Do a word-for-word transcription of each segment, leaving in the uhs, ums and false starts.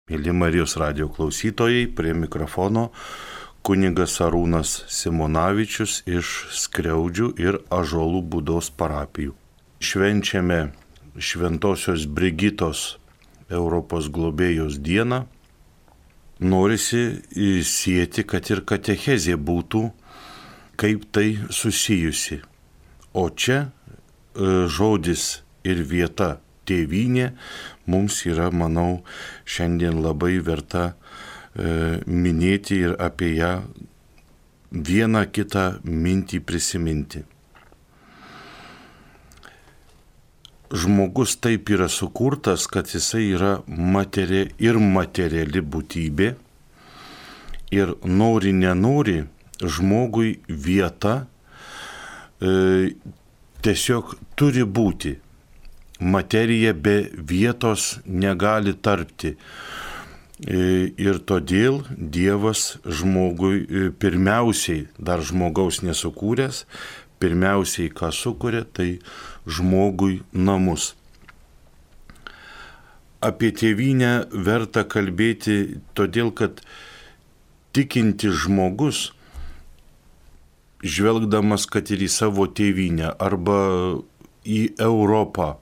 Mėly Marijos radijo klausytojai, prie mikrofono kunigas Arūnas Simonavičius iš Skriaudžių ir Ąžuolų Būdos parapijų. Švenčiame Šventosios Brigitos Europos globėjos dieną. Norisi sieti, kad ir katechezė būtų kaip tai susijusi. O čia žodis ir vieta tėvynė mums yra, manau, šiandien labai verta e, minėti ir apie ją vieną kitą mintį prisiminti. Žmogus taip yra sukurtas, kad jisai yra materi ir materiali būtybė ir nori nenori žmogui vieta e, tiesiog turi būti. Materija be vietos negali tarpti. Ir todėl Dievas žmogui pirmiausiai, dar žmogaus nesukūręs, pirmiausiai ką sukuria, tai žmogui namus. Apie tėvynę verta kalbėti, todėl kad tikintis žmogus, žvelgdamas kad ir į savo tėvynę arba į Europą,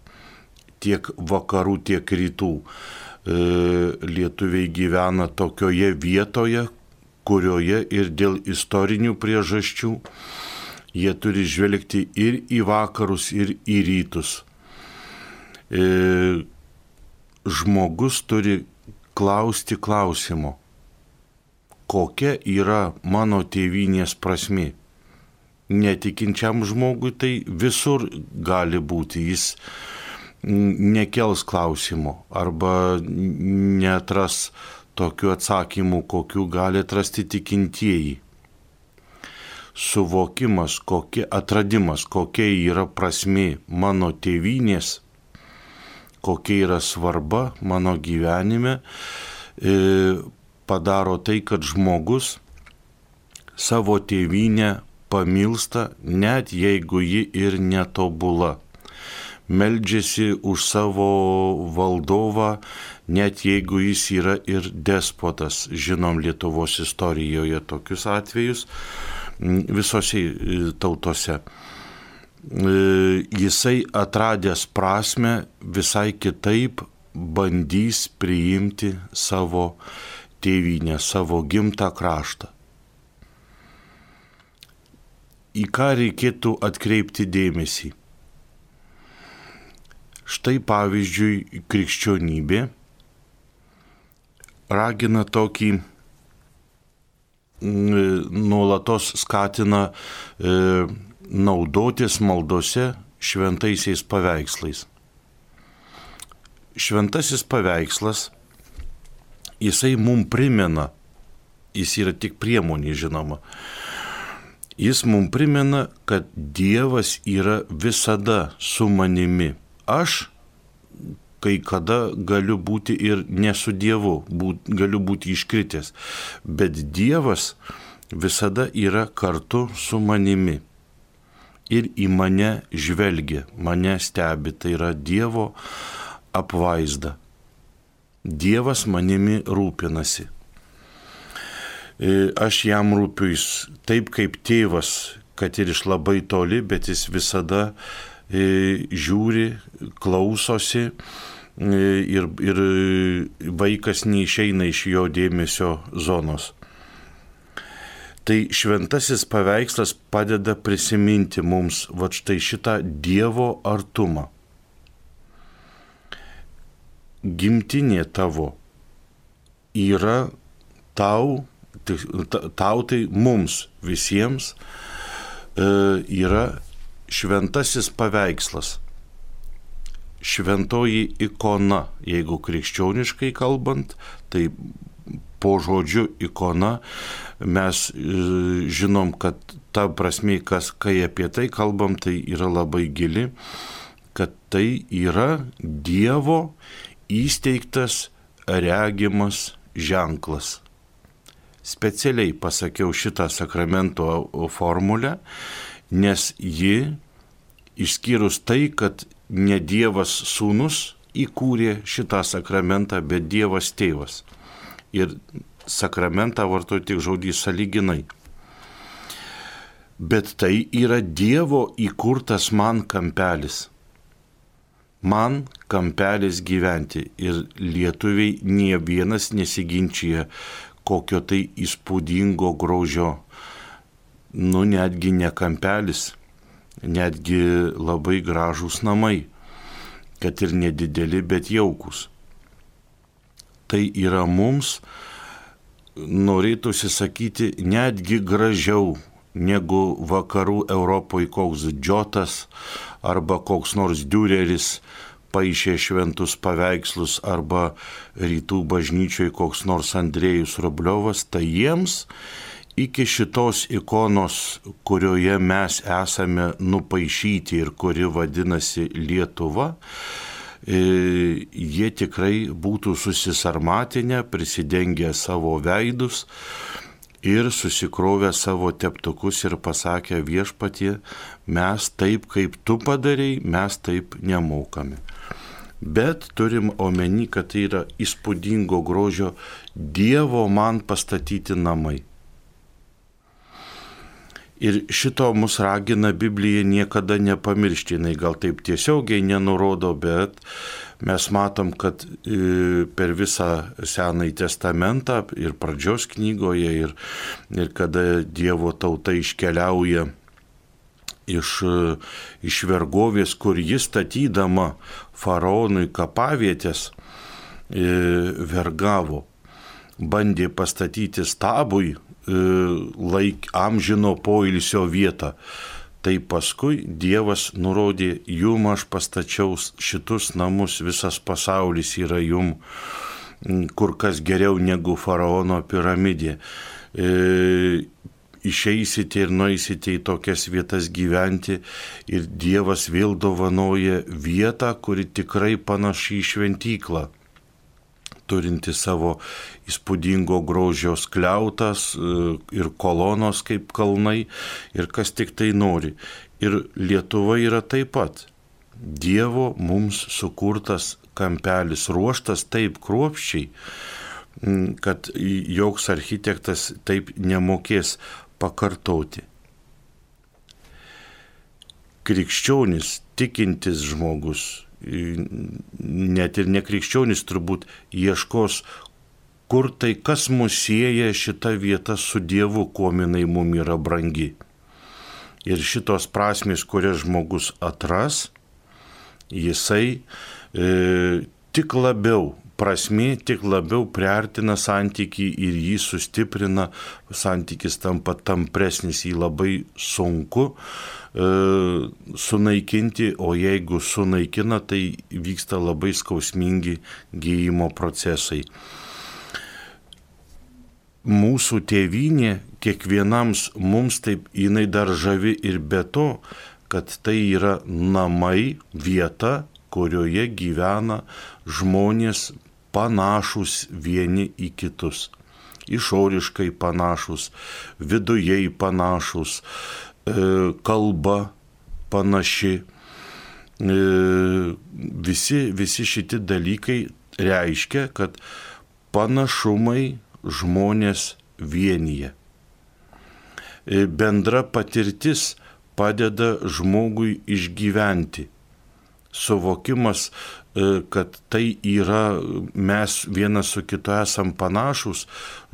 tiek vakarų, tiek rytų. E, lietuviai gyvena tokioje vietoje, kurioje ir dėl istorinių priežasčių jie turi žvelgti ir į vakarus, ir į rytus. E, žmogus turi klausti klausimo, kokia yra mano tėvynės prasmė. Netikinčiam žmogui tai visur gali būti, jis nekels klausimo arba netras tokių atsakymų, kokių gali atrasti tikintieji. Suvokimas, kokie, atradimas, kokia yra prasmė mano tėvynės, kokia yra svarba mano gyvenime, padaro tai, kad žmogus savo tėvynę pamilsta, net jeigu ji ir netobula. Meldžiasi už savo valdovą, net jeigu jis yra ir despotas. Žinom Lietuvos istorijoje tokius atvejus visose tautose. Jisai atradęs prasmę visai kitaip bandys priimti savo tėvynę, savo gimtą kraštą. Į ką reikėtų atkreipti dėmesį? Štai pavyzdžiui, krikščionybė ragina tokį, nuolatos skatina e, naudotis maldose šventaisiais paveikslais. Šventasis paveikslas, jisai mum primena, jis yra tik priemonė, žinoma, jis mum primena, kad Dievas yra visada su manimi. Aš kai kada galiu būti ir ne su Dievu, būt, galiu būti iškritęs, bet Dievas visada yra kartu su manimi ir į mane žvelgia, mane stebi, tai yra Dievo apvaizda. Dievas manimi rūpinasi. Aš jam rūpiu taip kaip tėvas, kad ir iš labai toli, bet jis visada žiūri, klausosi ir, ir vaikas neišeina iš jo dėmesio zonos. Tai šventasis paveikslas padeda prisiminti mums va štai šitą Dievo artumą. Gimtinė tavo yra tau, tau tai mums visiems yra šventasis paveikslas, šventoji ikona, jeigu krikščioniškai kalbant, tai po žodžiu ikona mes žinom, kad ta prasmė, kas, kai apie tai kalbam, tai yra labai gili, kad tai yra Dievo įsteigtas regimas ženklas. Specialiai pasakiau šitą sakramento formulę, nes ji, išskyrus tai, kad ne Dievas sūnus įkūrė šitą sakramentą, bet Dievas tėvas. Ir sakramentą vartoju tik žodį sąlyginai. Bet tai yra Dievo įkurtas man kampelis. Man kampelis gyventi. Ir lietuviai nie vienas nesiginčia kokio tai įspūdingo grožio. Nu, netgi ne kampelis, netgi labai gražūs namai, kad ir nedideli, bet jaukus. Tai yra mums, norėtųsi sakyti, netgi gražiau negu vakarų Europoje koks Džotas arba koks nors Diureris paišė šventus paveikslus arba rytų bažnyčioje koks nors Andrėjus Rubliovas, tai jiems iki šitos ikonos, kurioje mes esame nupaišyti ir kuri vadinasi Lietuva, jie tikrai būtų susisarmatinę, prisidengę savo veidus ir susikrovę savo teptukus ir pasakę viešpatie, mes taip, kaip tu padarei, mes taip nemokame. Bet turim omeny, kad tai yra įspūdingo grožio Dievo man pastatyti namai. Ir šito mus ragina Biblija niekada nepamiršti, jinai gal taip tiesiogiai nenurodo, bet mes matom, kad per visą Senąjį testamentą ir pradžios knygoje ir, ir kada Dievo tauta iškeliauja iš, iš vergovės, kur jis statydama faraonui kapavietės vergavo, bandė pastatyti stabui laik amžino poilsio vietą. Tai paskui Dievas nurodė, jum aš pastačiau šitus namus, visas pasaulis yra jum kur kas geriau negu faraono piramidė. E, išeisite ir nueisite į tokias vietas gyventi ir Dievas vėl dovanoja vietą, kuri tikrai panaši į šventyklą, turinti savo įspūdingo grožio skliautas ir kolonos kaip kalnai ir kas tik tai nori. Ir Lietuva yra taip pat Dievo mums sukurtas kampelis, ruoštas taip kruopščiai, kad joks architektas taip nemokės pakartoti. Krikščionis, tikintis žmogus, net ir nekrikščionis turbūt ieškos, kur tai, kas mus sieja šita vieta su Dievu, kuo jinai mum yra brangi. Ir šitos prasmės, kurias žmogus atras, jisai e, tik labiau, prasmė tik labiau priartina santykį ir jį sustiprina, santykis tampa tampresnis, jį labai sunku e, sunaikinti, o jeigu sunaikina, tai vyksta labai skausmingi gijimo procesai. Mūsų tėvynė kiekvienams mums taip jinai dar žavi ir be to, kad tai yra namai, vieta, kurioje gyvena žmonės panašus vieni į kitus. Išoriškai panašus, vidujei panašus, kalba panaši. Visi, visi šitie dalykai reiškia, kad panašumai žmonės vienyje. Bendra patirtis padeda žmogui išgyventi. Suvokimas, kad tai yra, mes vienas su kitu esam panašus,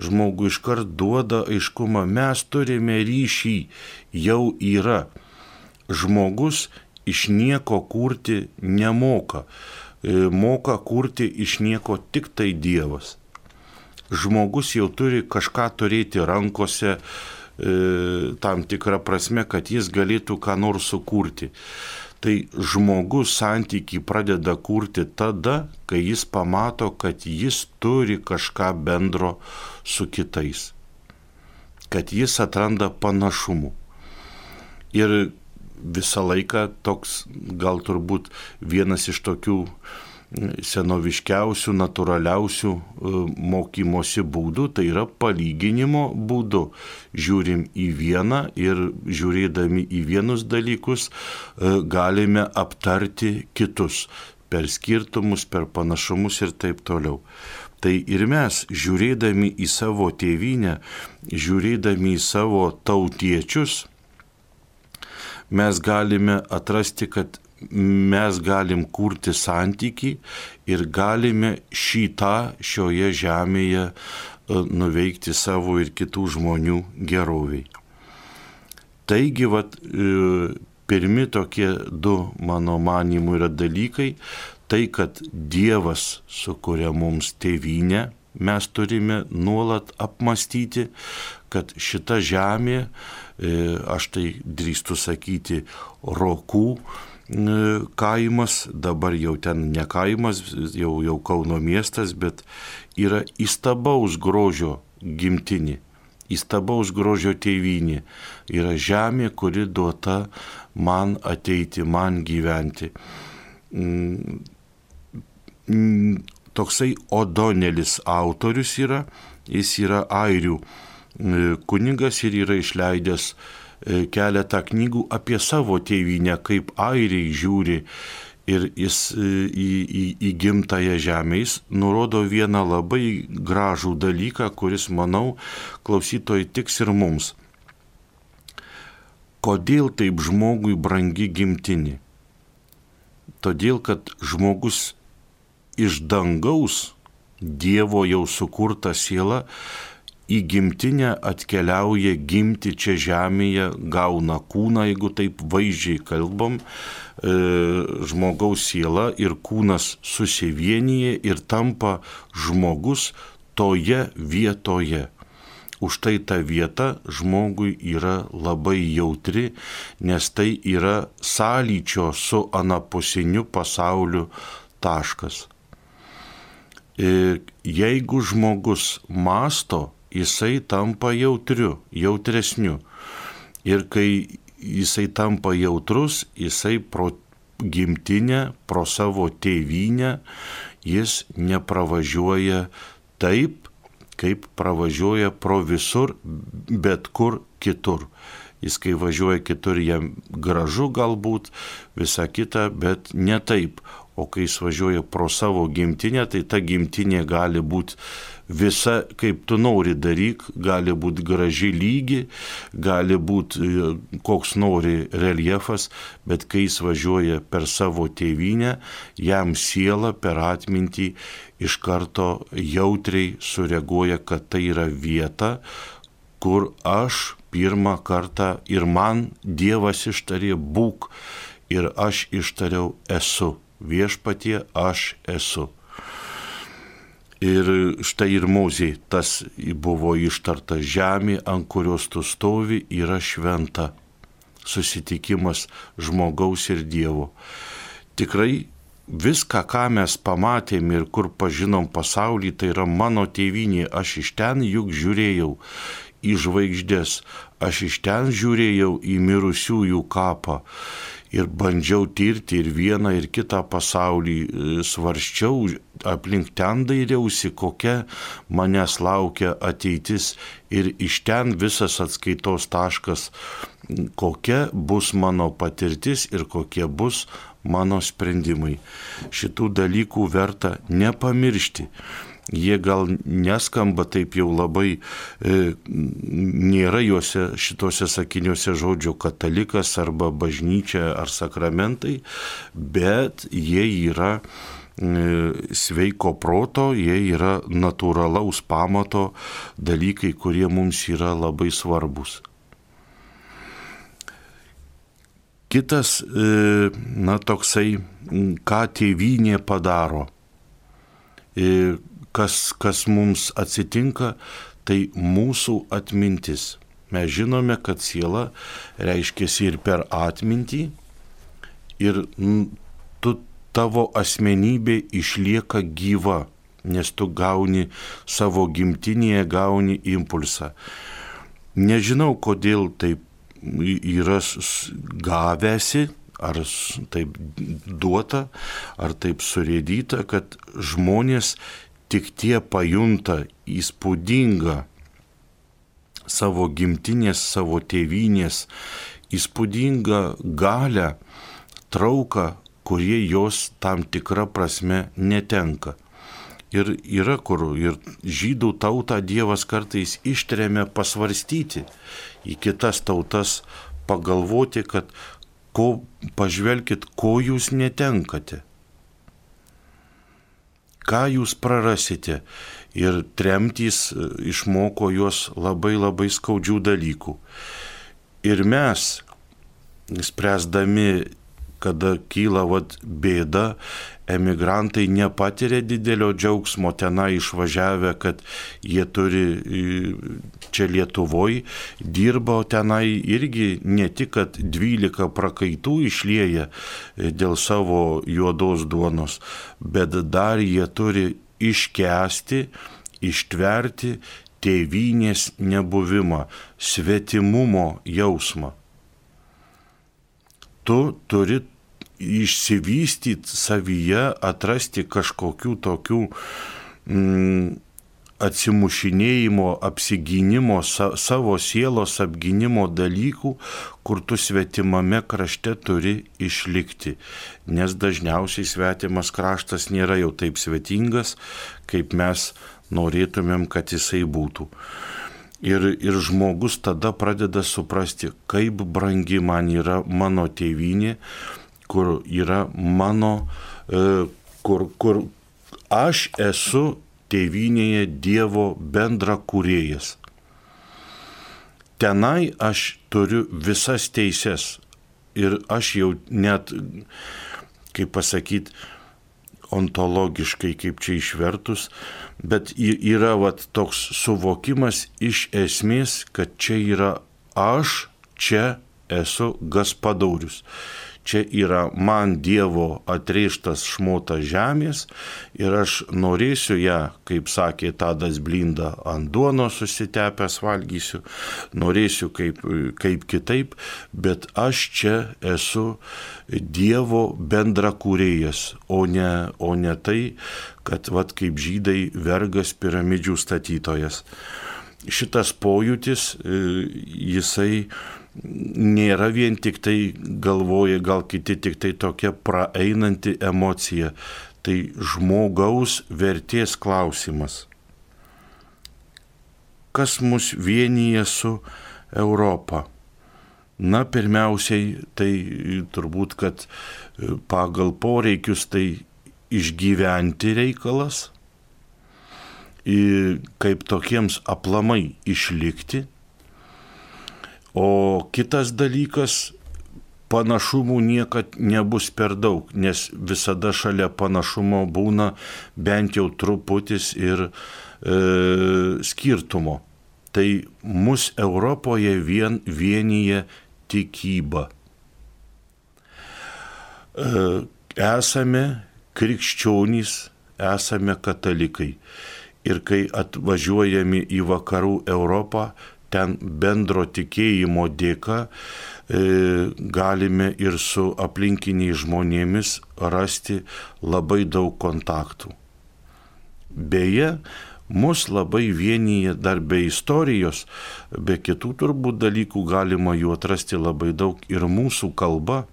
žmogui iškart duoda aiškumą, mes turime ryšį, jau yra. Žmogus iš nieko kurti nemoka, moka kurti iš nieko tik tai Dievas. Žmogus jau turi kažką turėti rankose, e, tam tikrą prasme, kad jis galėtų ką nors sukurti. Tai žmogus santykį pradeda kurti tada, kai jis pamato, kad jis turi kažką bendro su kitais, kad jis atranda panašumų. Ir visą laiką toks, gal turbūt vienas iš tokių senoviškiausių, natūraliausių mokymosi būdų, tai yra palyginimo būdu. Žiūrim į vieną ir žiūrėdami į vienus dalykus galime aptarti kitus. per skirtumus, per panašumus ir taip toliau. Tai ir mes, žiūrėdami į savo tėvynę, žiūrėdami į savo tautiečius, mes galime atrasti, kad mes galim kurti santykį ir galime šitą šioje žemėje nuveikti savo ir kitų žmonių geroviai. Taigi, vat, pirmi tokie du, mano manimu, yra dalykai, tai, kad Dievas sukuria mums tėvynę, mes turime nuolat apmastyti, kad šita žemė, aš tai drįstu sakyti, Rokų kaimas, dabar jau ten ne kaimas, jau, jau Kauno miestas, bet yra įstabaus grožio gimtinė. Įstabaus grožio tėvynė yra žemė, kuri duota man ateiti, man gyventi. Toksai Odonelis autorius yra, jis yra airių kunigas ir yra išleidęs keletą knygų apie savo tėvynę, kaip airiai žiūri ir jis į, į, į gimtąją žemę. Jis nurodo vieną labai gražų dalyką, kuris, manau, klausytojai tiks ir mums. Kodėl taip žmogui brangi gimtinė? Todėl, kad žmogus iš dangaus, Dievo jau sukurta siela, į gimtinę atkeliauja gimti čia žemėje, gauna kūną, jeigu taip vaizdžiai kalbam, e, žmogaus siela ir kūnas susivienyje ir tampa žmogus toje vietoje. Už tai ta vieta žmogui yra labai jautri, nes tai yra sąlyčio su anapusiniu pasauliu taškas. E, jeigu žmogus mąsto, jisai tampa jautriu, jautresniu. Ir kai jisai tampa jautrus, jisai pro gimtinę, pro savo tėvynę, jis nepravažiuoja taip, kaip pravažiuoja pro visur, bet kur kitur. Jis kai važiuoja kitur, jam gražu galbūt, visa kita, bet ne taip. O kai jis važiuoja pro savo gimtinę, tai ta gimtinė gali būti visa, kaip tu nori daryk, gali būti graži lygi, gali būti koks nori reljefas, bet kai jis važiuoja per savo tėvynę, jam siela per atmintį iš karto jautriai sureaguoja, kad tai yra vieta, kur aš pirmą kartą ir man Dievas ištarė būk ir aš ištariau esu. Viešpatie aš esu. Ir štai ir Mozei tas buvo ištarta, žemė, ant kurios tu stovi, yra šventa. Susitikimas žmogaus ir Dievo. Tikrai viską, ką mes pamatėm ir kur pažinom pasaulį, tai yra mano tėvynė. Aš iš ten juk žiūrėjau į žvaigždės, aš iš ten žiūrėjau į mirusiųjų kapą. Ir bandžiau tirti ir vieną, ir kitą pasaulį, svarsčiau, aplink ten dairiausi, kokia manęs laukia ateitis ir iš ten visas atskaitos taškas, kokia bus mano patirtis ir kokie bus mano sprendimai. Šitų dalykų verta nepamiršti. Jie gal neskamba taip jau labai, e, nėra juose šitose sakiniuose žodžio katalikas arba bažnyčia ar sakramentai, bet jie yra e, sveiko proto, jie yra natūralaus pamato dalykai, kurie mums yra labai svarbus. Kitas, e, na toksai, ką tėvynė padaro. E, Kas, kas mums atsitinka, tai mūsų atmintis. Mes žinome, kad siela reiškiasi ir per atmintį, ir tu, tavo asmenybė išlieka gyva, nes tu gauni savo gimtinėje, gauni impulsą. Nežinau, kodėl taip yra gavęsi, ar taip duota, ar taip surėdyta, kad žmonės tik tie pajunta įspūdingą savo gimtinės, savo tėvynės, įspūdingą galią, trauką, kurie jos tam tikrą prasme netenka. Ir yra kur, ir žydų tautą Dievas kartais ištremia pasvarstyti į kitas tautas, pagalvoti, kad ko, pažvelkit, ko jūs netenkate, ką jūs prarasite. Ir tremtys išmoko juos labai labai skaudžių dalykų. Ir mes, spręsdami, kada kyla vat, bėda, emigrantai nepatiria didelio džiaugsmo tenai išvažiavę, kad jie turi čia Lietuvoje, dirba tenai irgi ne tik, kad dvylika prakaitų išlieja dėl savo juodos duonos, bet dar jie turi iškęsti, ištverti tėvynės nebuvimą, svetimumo jausmą. Tu turi išsivystyti savyje, atrasti kažkokių tokių mm, atsimušinėjimo, apsigynimo, sa, savo sielos apgynimo dalykų, kur tu svetimame krašte turi išlikti. Nes dažniausiai svetimas kraštas nėra jau taip svetingas, kaip mes norėtumėm, kad jisai būtų. Ir, ir žmogus tada pradeda suprasti, kaip brangi man yra mano tėvynė, kur yra mano, kur, kur aš esu tėvynėje Dievo bendra kūrėjas. Tenai aš turiu visas teises ir aš jau net, kaip pasakyti, ontologiškai, kaip čia išvertus, bet yra vat, toks suvokimas iš esmės, kad čia yra aš, čia esu Gaspadorius. Čia yra man Dievo atrėžtas šmotas žemės ir aš norėsiu ją, kaip sakė Tadas Blinda, ant duonos susitepęs valgysiu, norėsiu kaip, kaip kitaip, bet aš čia esu Dievo bendrakūrėjas, o ne, o ne tai, kad vat, kaip žydai vergas piramidžių statytojas. Šitas pojūtis, jisai nėra vien tik tai galvoja, gal kiti tik tai tokia praeinanti emocija. Tai žmogaus vertės klausimas. Kas mus vienyje su Europa? Na, pirmiausiai, tai turbūt, kad pagal poreikius tai išgyventi reikalas, kaip tokiems aplamai išlikti. O kitas dalykas, panašumų niekad nebus per daug, nes visada šalia panašumo būna bent jau truputis ir e, skirtumo. Tai mus Europoje vien vienyje tikyba. E, esame krikščionys, esame katalikai. Ir kai atvažiuojame į vakarų Europą, ten bendro tikėjimo dėka e, galime ir su aplinkiniais žmonėmis rasti labai daug kontaktų. Beje, mus labai vienyje dar be istorijos, be kitų turbūt dalykų galima jų atrasti labai daug ir mūsų kalba.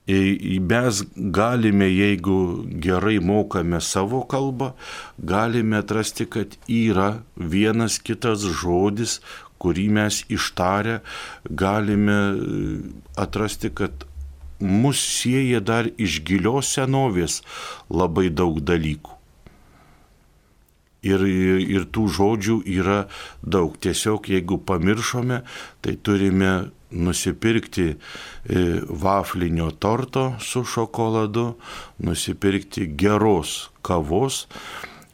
Mes galime, jeigu gerai mokame savo kalbą, galime atrasti, kad yra vienas kitas žodis, kurį mes ištarę galime atrasti, kad mus sieja dar iš gilios senovės labai daug dalykų. Ir, ir tų žodžių yra daug. Tiesiog jeigu pamiršome, tai turime nusipirkti vaflinio torto su šokoladu, nusipirkti geros kavos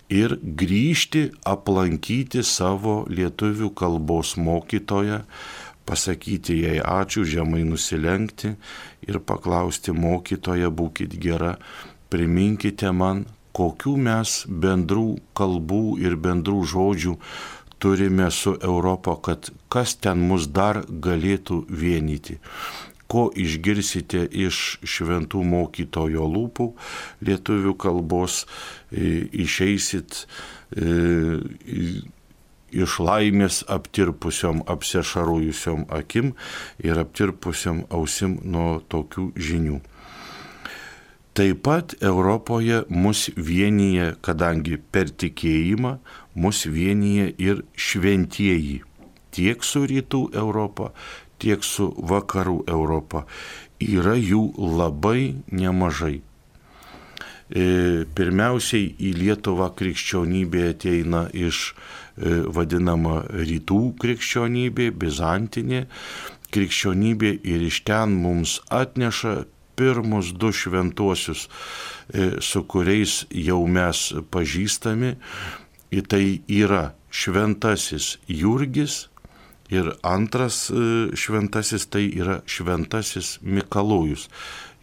ir grįžti aplankyti savo lietuvių kalbos mokytoją, pasakyti jai ačiū, žemai nusilenkti ir paklausti mokytoją, būkit gera, priminkite man, kokių mes bendrų kalbų ir bendrų žodžių turime su Europa, kad kas ten mus dar galėtų vienyti. Ko išgirsite iš šventų mokytojo lūpų lietuvių kalbos, išeisit iš laimės aptirpusiom, apsešarujusiom akim ir aptirpusiom ausim nuo tokių žinių. Taip pat Europoje mus vienyje, kadangi per tikėjimą mus vienyje ir šventieji. Tiek su rytų Europa, tiek su vakarų Europa. Yra jų labai nemažai. Pirmiausiai į Lietuvą krikščionybė ateina iš vadinama rytų krikščionybė, bizantinė krikščionybė, ir iš ten mums atneša pirmus du šventuosius, su kuriais jau mes pažįstami. Tai yra šventasis Jurgis ir antras šventasis tai yra šventasis Mikalojus.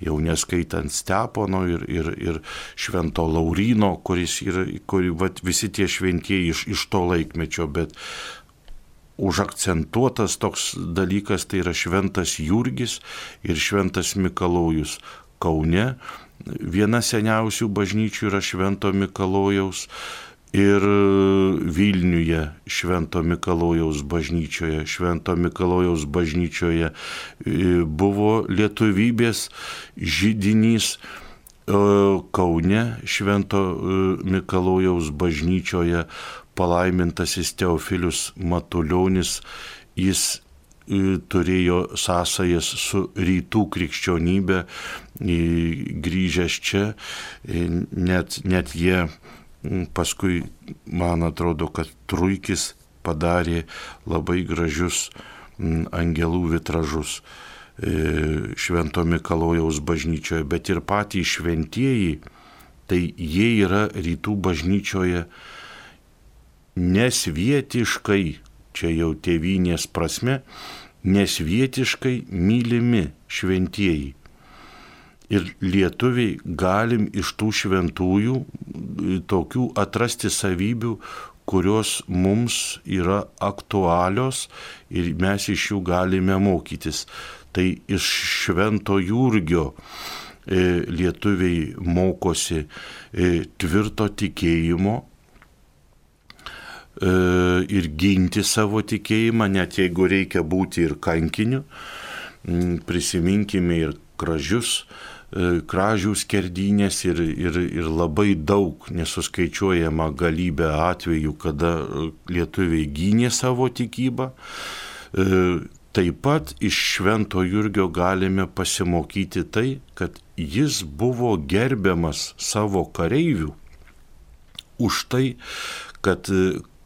Jau neskaitant Stepono ir, ir, ir švento Lauryno, kuris yra, kuri, vat, visi tie šventieji iš, iš to laikmečio, bet užakcentuotas toks dalykas tai yra šventas Jurgis ir šventas Mikalojus. Kaune viena seniausių bažnyčių yra švento Mikalojaus, ir Vilniuje švento Mikalojaus bažnyčioje. Švento Mikalojaus bažnyčioje buvo lietuvybės židinys. Kaune švento Mikalojaus bažnyčioje palaimintasis Teofilius Matulionis, jis turėjo sąsajas su rytų krikščionybė, grįžęs čia, net, net jie paskui, man atrodo, kad Truikis padarė labai gražius angelų vitražus švento Mikalojaus bažnyčioje, bet ir patys šventieji, tai jie yra rytų bažnyčioje nesvietiškai, čia jau tėvynės prasme, nesvietiškai mylimi šventieji. Ir lietuviai galim iš tų šventųjų tokių atrasti savybių, kurios mums yra aktualios ir mes iš jų galime mokytis. Tai iš švento Jurgio e, lietuviai mokosi e, tvirto tikėjimo e, ir ginti savo tikėjimą, net jeigu reikia būti ir kankiniu. Prisiminkime ir kražius, kražių skerdynės ir, ir, ir labai daug nesuskaičiuojama galybė atvejų, kada lietuviai gynė savo tikybą. Taip pat iš švento Jurgio galime pasimokyti tai, kad jis buvo gerbiamas savo kareivių už tai, kad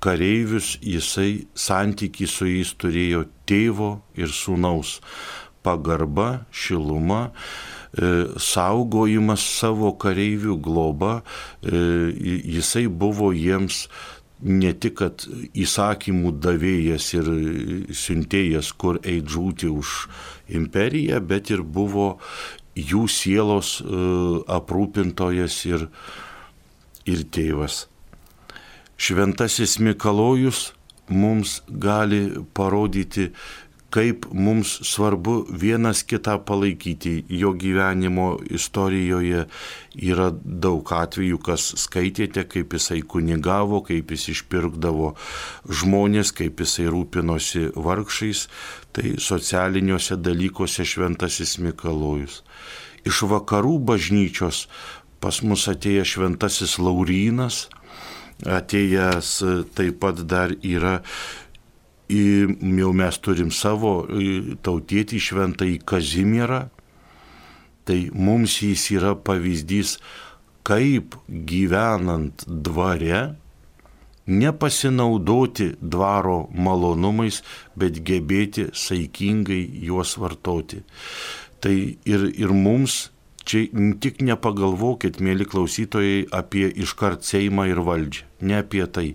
kareivius jisai santykį su jais turėjo tėvo ir sūnaus. Pagarba, šiluma, saugojimas savo kareivių, globa, jisai buvo jiems ne tik kad įsakymų davėjas ir siuntėjas, kur eit žūti už imperiją, bet ir buvo jų sielos aprūpintojas ir, ir tėvas. Šventasis Mikalojus mums gali parodyti, kaip mums svarbu vienas kitą palaikyti. Jo gyvenimo istorijoje yra daug atvejų, kas skaitėte, kaip jisai kunigavo, kaip jis išpirkdavo žmonės, kaip jisai rūpinosi vargšais. Tai socialiniuose dalykuose šventasis Mikalojus. Iš vakarų bažnyčios pas mus atėjo šventasis Laurynas, atėjęs taip pat dar yra, jau mes turim savo tautietį šventąjį Kazimierą, tai mums jis yra pavyzdys, kaip gyvenant dvare nepasinaudoti dvaro malonumais, bet gebėti saikingai juos vartoti. Tai ir, ir mums čia tik nepagalvokit, mėly klausytojai, apie iškart Seimą ir valdžią. Ne apie tai.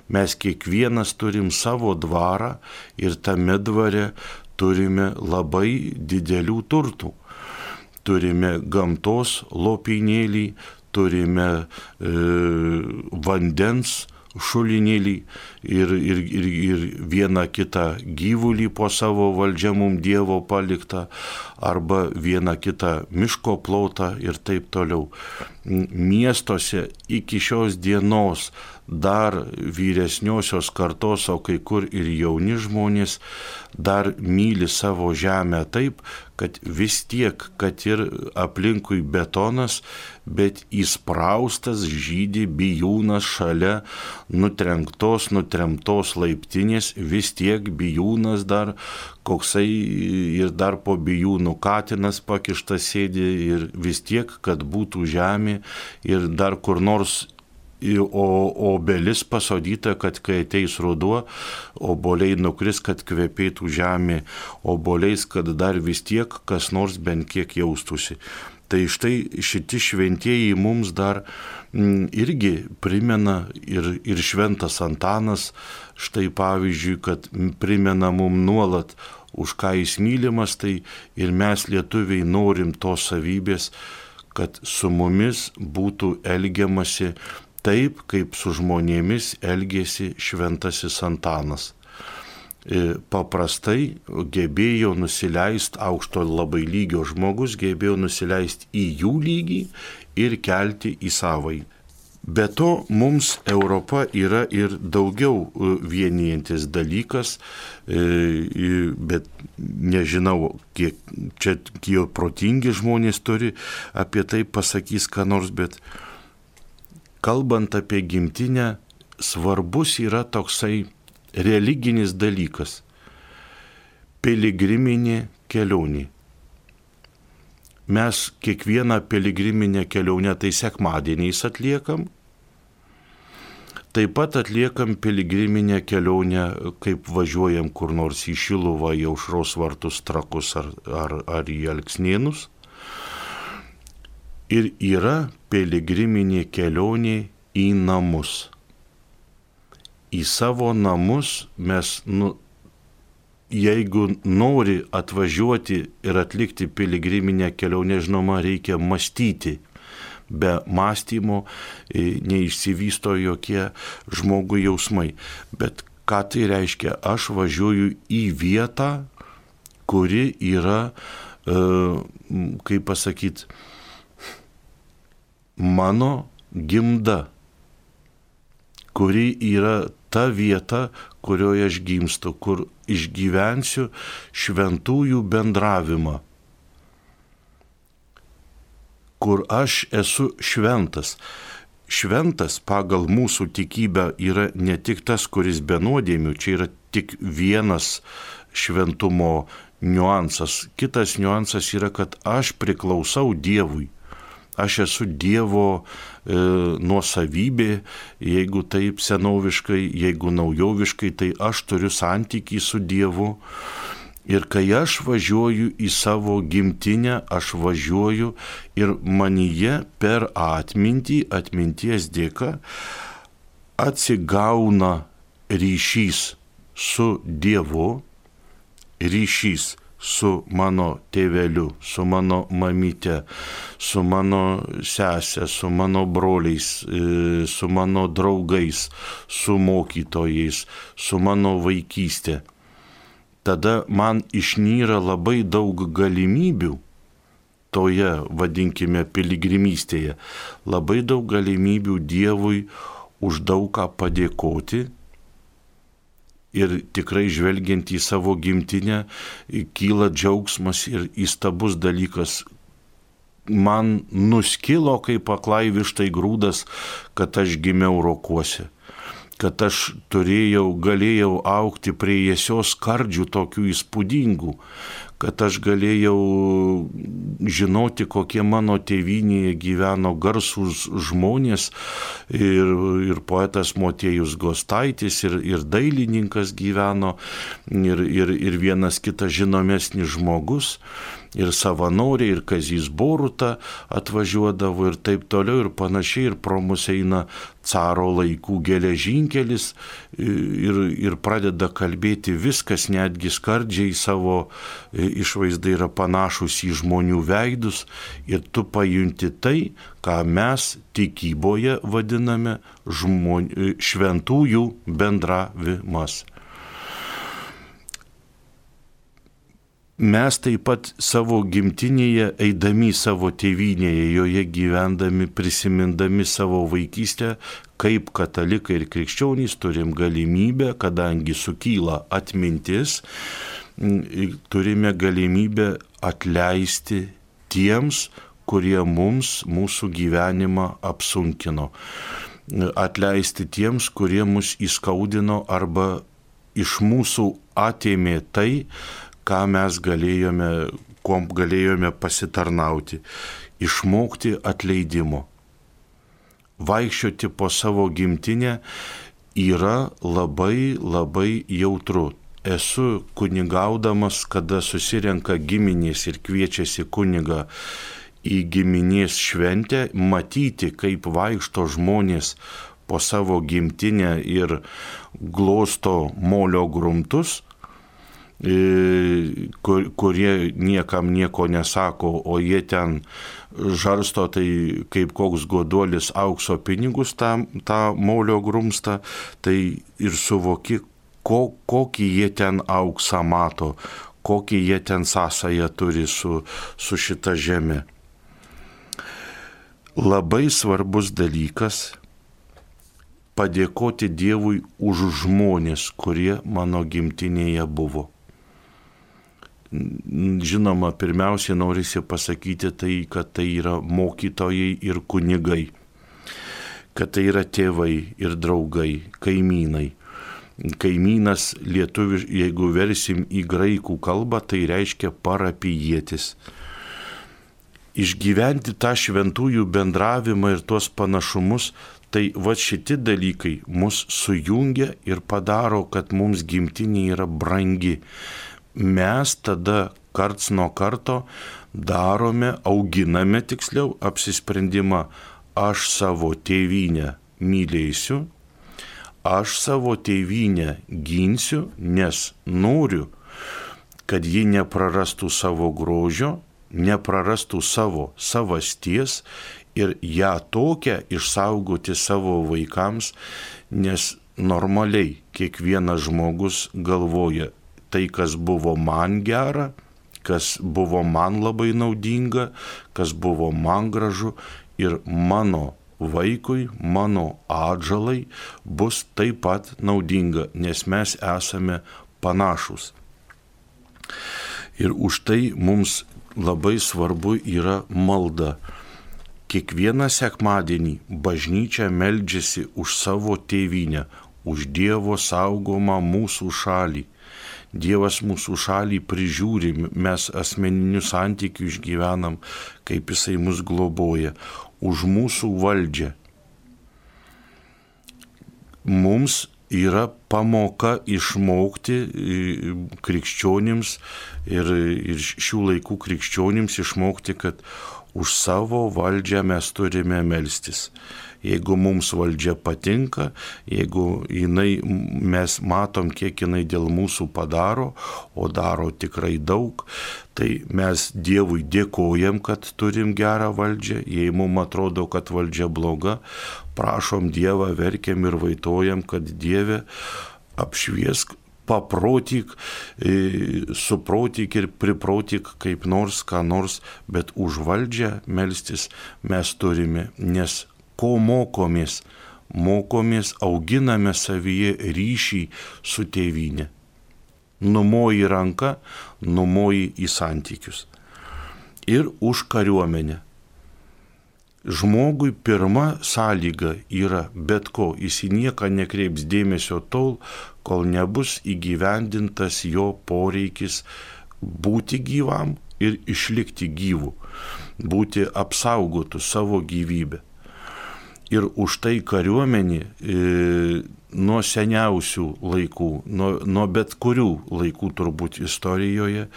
Mes kiekvienas turim savo dvarą ir tame dvare turime labai didelių turtų. Turime gamtos lopinėlį, turime e, vandens šulinėlį ir, ir, ir, ir vieną kitą gyvulį po savo valdžia mum Dievo paliktą, arba vieną kitą miško plotą ir taip toliau. miestuose iki šios dienos dar vyresniosios kartos, o kai kur ir jauni žmonės dar myli savo žemę taip, kad vis tiek, kad ir aplinkui betonas, bet įspraustas žydi bijūnas šalia nutrenktos, nutremtos laiptinės, vis tiek bijūnas dar koksai ir dar po bijūnų katinas pakištas sėdi ir vis tiek, kad būtų žemė ir dar kur nors O obelis pasodyta, kad kai ateis ruduo, oboliai nukris, kad kvepėtų žemė oboliais, kad dar vis tiek kas nors bent kiek jaustųsi. Tai štai šiti šventieji mums dar m, irgi primena ir, ir šventas Antanas, štai pavyzdžiui, kad primena mums nuolat, už ką jis mylimas, tai ir mes lietuviai norim tos savybės, kad su mumis būtų elgiamasi taip, kaip su žmonėmis elgėsi šventasis Antanas. Paprastai gebėjo nusileisti, aukšto labai lygio žmogus gebėjo nusileisti į jų lygį ir kelti į savai. Be to, mums Europa yra ir daugiau vienijantis dalykas, bet nežinau, kiek čia kiek protingi žmonės turi apie tai pasakys ką nors, bet kalbant apie gimtinę, svarbus yra toksai religinis dalykas – piligriminė kelionė. Mes kiekvieną piligriminę kelionę tai sekmadieniais atliekam, taip pat atliekam piligriminę kelionę, kaip važiuojam kur nors į Šiluvą, į Aušros vartus, Trakus ar, ar, ar į Alksnėnus. Ir yra piligriminė kelionė į namus. Į savo namus mes, nu, jeigu nori atvažiuoti ir atlikti piligriminę kelionę, žinoma, reikia mąstyti. Be mąstymo neišsivysto jokie žmogui jausmai. Bet ką tai reiškia? Aš važiuoju į vietą, kuri yra, kaip pasakyti, mano gimda, kuri yra ta vieta, kurioje aš gimstu, kur išgyvensiu šventųjų bendravimą, kur aš esu šventas. Šventas pagal mūsų tikybę yra ne tik tas, kuris be nuodėmių, čia yra tik vienas šventumo niuansas. Kitas niuansas yra, kad aš priklausau Dievui. Aš esu Dievo e, nuosavybė, jeigu taip senoviškai, jeigu naujoviškai, tai aš turiu santykį su Dievu. Ir kai aš važiuoju į savo gimtinę, aš važiuoju ir manyje per atmintį, atminties dėka, atsigauna ryšys su Dievu, ryšys su mano tėveliu, su mano mamyte, su mano sesė, su mano broliais, su mano draugais, su mokytojais, su mano vaikystė. Tada man išnyra labai daug galimybių toje, vadinkime, piligrimystėje, labai daug galimybių Dievui už daug ką padėkoti. Ir tikrai žvelgiant į savo gimtinę, kyla džiaugsmas ir įstabus dalykas. Man nuskilo kaip aklai vištai grūdas, kad aš gimiau Rokuose, kad aš turėjau, galėjau augti prie Jiesios skardžių tokių įspūdingų, kad aš galėjau žinoti, kokie mano tėvynėje gyveno garsūs žmonės ir, ir poetas Motiejus Gostaitis ir, ir dailininkas gyveno ir, ir, ir vienas kitas žinomesnis žmogus. Ir savanoriai, ir Kazys Boruta atvažiuodavo ir taip toliau ir panašiai, ir pro mus eina caro laikų geležinkelis ir, ir pradeda kalbėti viskas, netgi skardžiai savo išvaizdai yra panašus į žmonių veidus ir tu pajunti tai, ką mes tikyboje vadiname žmonių, šventųjų bendravimas. mes taip pat savo gimtinėje, eidami savo tėvynėje, joje gyvendami, prisimindami savo vaikystę, kaip katalikai ir krikščionys turim galimybę, kadangi sukyla atmintis, turime galimybę atleisti tiems, kurie mums mūsų gyvenimą apsunkino. Atleisti tiems, kurie mus įskaudino arba iš mūsų atėmė tai, ką mes galėjome, kuom galėjome pasitarnauti, išmokti atleidimo. Vaikščioti po savo gimtinę yra labai labai jautru. Esu kunigaudamas, kada susirenka giminės ir kviečiasi kunigą į giminės šventę, matyti, kaip vaikšto žmonės po savo gimtinę ir glosto molio grumtus, Kur, kurie niekam nieko nesako, o jie ten žarsto tai kaip koks goduolis aukso pinigus tą, tą molio grumstą, tai ir suvoki, ko, kokį jie ten auksą mato, kokį jie ten sąsają turi su, su šita žeme. Labai svarbus dalykas padėkoti Dievui už žmonės, kurie mano gimtinėje buvo. Žinoma, pirmiausia, norisi pasakyti tai, kad tai yra mokytojai ir kunigai, kad tai yra tėvai ir draugai, kaimynai. Kaimynas lietuviš, jeigu versim į graikų kalbą, tai reiškia parapijietis. Išgyventi tą šventųjų bendravimą ir tuos panašumus, tai va šitie dalykai mus sujungia ir padaro, kad mums gimtinė yra brangi. Mes tada karts nuo karto darome, auginame tiksliau apsisprendimą, aš savo tėvynę mylėsiu, aš savo tėvynę ginsiu, nes noriu, kad ji neprarastų savo grožio, neprarastų savo savasties ir ją tokią išsaugoti savo vaikams, nes normaliai kiekvienas žmogus galvoja, tai, kas buvo man gera, kas buvo man labai naudinga, kas buvo man gražu ir mano vaikui, mano atžalai bus taip pat naudinga, nes mes esame panašus. Ir už tai mums labai svarbu yra malda. Kiekvieną sekmadienį bažnyčia meldžiasi už savo tėvynę, už Dievo saugomą mūsų šalį. Dievas mūsų šalį prižiūri, mes asmeninių santykių išgyvenam, kaip Jisai mus globoja, už mūsų valdžią. Mums yra pamoka išmokti krikščionims ir, ir šių laikų krikščionims išmokti, kad už savo valdžią mes turime melstis. Jeigu mums valdžia patinka, jeigu jinai, mes matom, kiek jinai dėl mūsų padaro, o daro tikrai daug, tai mes Dievui dėkojam, kad turim gerą valdžią. Jei mums atrodo, kad valdžia bloga, prašom Dievą, verkiam ir vaitojam, kad Dieve apšviesk, paprotyk, suprotyk ir priprotyk kaip nors, ką nors, bet už valdžią melstis mes turime, nes ko mokomės? Mokomės, auginame savyje ryšį su tėvynė. Numoji ranką, numoji į santykius. Ir už kariuomenę. Žmogui pirma sąlyga yra bet ko, jis į nieką nekreips dėmesio tol, kol nebus įgyvendintas jo poreikis būti gyvam ir išlikti gyvu, būti apsaugotų savo gyvybę. Ir už tai kariuomenė e, nuo seniausių laikų, nuo, nuo bet kurių laikų turbūt istorijoje,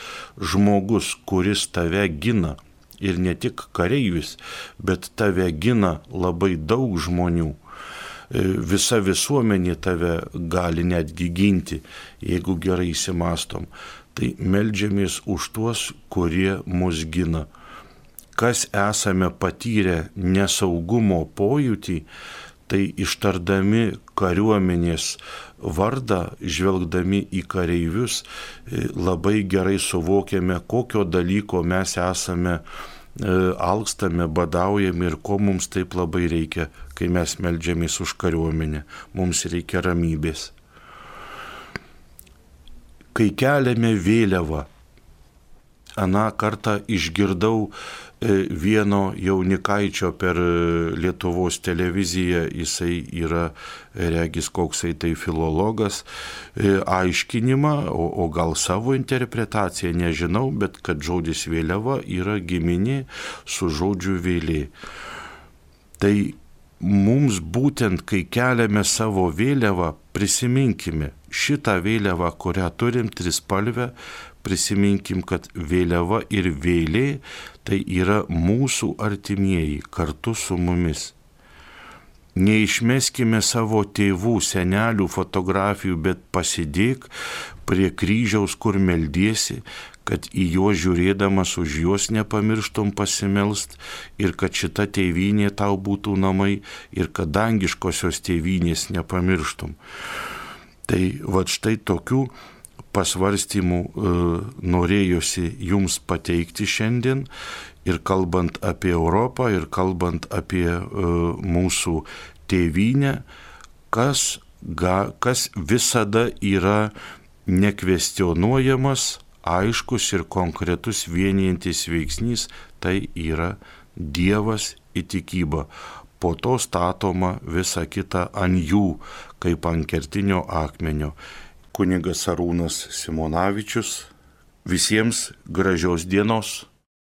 žmogus, kuris tave gina, ir ne tik kareivis, bet tave gina labai daug žmonių, e, visa visuomenė tave gali netgi ginti, jeigu gerai įsimastom, tai meldžiamės už tuos, kurie mus gina. Kas esame patyrę nesaugumo pojūtį, tai ištardami kariuomenės vardą, žvelgdami į kareivius, labai gerai suvokiame, kokio dalyko mes esame, alkstame, badaujame ir ko mums taip labai reikia, kai mes meldžiamės už kariuomenę. Mums reikia ramybės. Kai keliame vėliavą, aną kartą išgirdau vieno jaunikaičio per Lietuvos televiziją, jisai yra, regis, koksai tai filologas, aiškinimą, o, o gal savo interpretaciją, nežinau, bet kad žodis vėliava yra giminė su žodžiu vėlė. Tai mums būtent, kai keliame savo vėliavą, prisiminkime šitą vėliavą, kurią turim, trispalvę, prisiminkim, kad vėliava ir vėlė tai yra mūsų artimieji kartu su mumis. Neišmeskime savo tėvų, senelių fotografijų, bet pasidėk prie kryžiaus, kur meldiesi, kad į juos žiūrėdamas už juos nepamirštum pasimelst ir kad šita tėvynė tau būtų namai ir kad dangiškosios tėvynės nepamirštum. Tai va štai tokių pasvarstymų e, norėjosi jums pateikti šiandien ir kalbant apie Europą ir kalbant apie e, mūsų tėvynę, kas, ga, kas visada yra nekvestionuojamas, aiškus ir konkretus vienijantis veiksnys, tai yra Dievas įtikyba. Po to statoma visa kita ant jų, kaip ant kertinio akmenio. Kunigas Arūnas Simonavičius. Visiems gražios dienos.